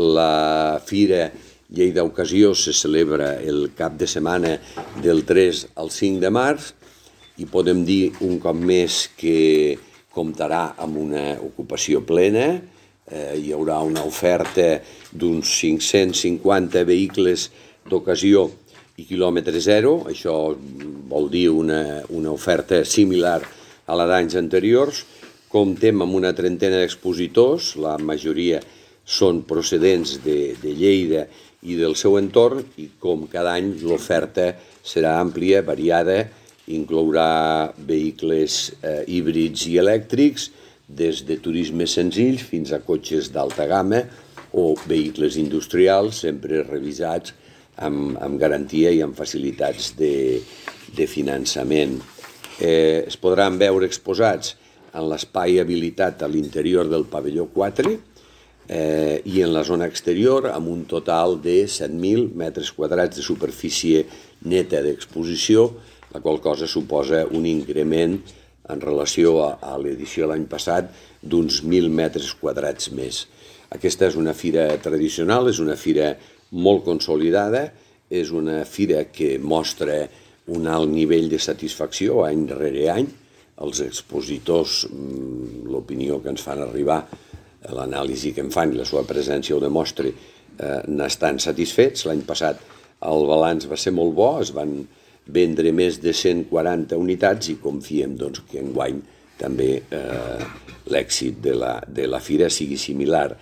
La Fira Lleida Ocasió se celebra el cap de setmana del 3 al 5 de març i podem dir un cop més que comptarà amb una ocupació plena. Hi haurà una oferta d'uns 550 vehicles d'ocasió i quilòmetre zero. Això vol dir una oferta similar a la d'anys anteriors. Comptem amb una trentena d'expositors, la majoria són procedents de Lleida i del seu entorn, i com cada any l'oferta serà àmplia, variada, inclourà vehicles híbrids i elèctrics, des de turismes senzills fins a cotxes d'alta gamma o vehicles industrials, sempre revisats amb garantia i amb facilitats de finançament. Es podran veure exposats en l'espai habilitat a l'interior del pavelló 4 i en la zona exterior, amb un total de 7.000 metres quadrats de superfície neta d'exposició, la qual cosa suposa un increment en relació a l'edició de l'any passat d'uns 1.000 metres quadrats més. Aquesta és una fira tradicional, és una fira molt consolidada, és una fira que mostra un alt nivell de satisfacció any rere any. Els expositors, l'opinió que ens fan arribar, l'anàlisi que en fan i la seva presència ho demostra, n'estan satisfets. L'any passat el balanç va ser molt bo, es van vendre més de 140 unitats i confiem que enguany també l'èxit de la fira sigui similar.